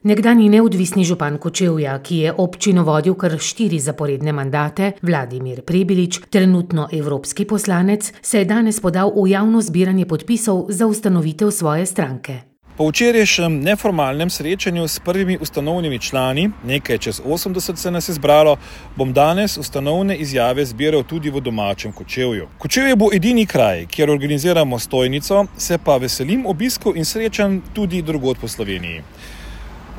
Nekdanji neodvisni župan Kočevja, ki je občino vodil kar 4 zaporedne mandate, Vladimir Prebilič, trenutno evropski poslanec, se je danes podal v javno zbiranje podpisov za ustanovitev svoje stranke. Po včerajšnjem neformalnem srečanju s prvimi ustanovnimi člani, nekaj čez 80 se nas je zbralo, bom danes ustanovne izjave zbiral tudi v domačem Kočevju. Kočevje bo edini kraj, kjer organiziramo stojnico, se pa veselim obiskov in srečanj tudi drugod po Sloveniji.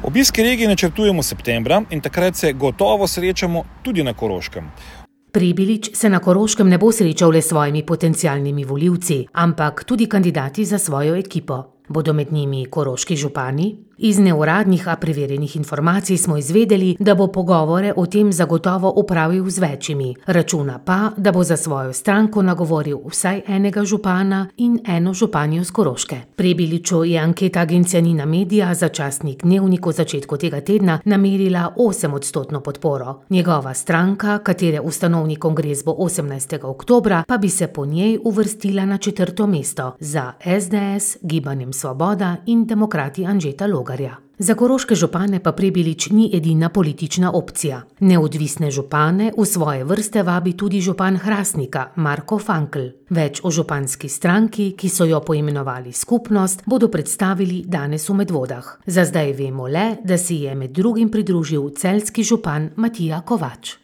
Obiske regije načrtujemo septembra in takrat se gotovo srečamo tudi na Koroškem. Prebilič se na Koroškem ne bo srečal le s svojimi potencialnimi volivci, ampak tudi kandidati za svojo ekipo. Bodo med njimi koroški župani? Iz neuradnih, a preverjenih informacij smo izvedeli, da bo pogovore o tem zagotovo opravil z večjimi. Računa pa, da bo za svojo stranko nagovoril vsaj enega župana in eno županjo z Koroške. Prebiliču je anketa agencije Nina Media za časnik Dnevnik v začetku tega tedna namerila 8% podporo. Njegova stranka, katere ustanovni kongres bo 18. oktobra, pa bi se po njej uvrstila na 4. mesto za SDS, Gibanjem Svoboda in Demokrati Anžeta Logarja. Za koroške župane pa Prebilič ni edina politična opcija. Neodvisne župane v svoje vrste vabi tudi župan Hrastnika, Marko Frankl. Več o županski stranki, ki so jo poimenovali Skupnost, bodo predstavili danes v Medvodah. Za zdaj vemo le, da si je med drugim pridružil celjski župan Matija Kovač.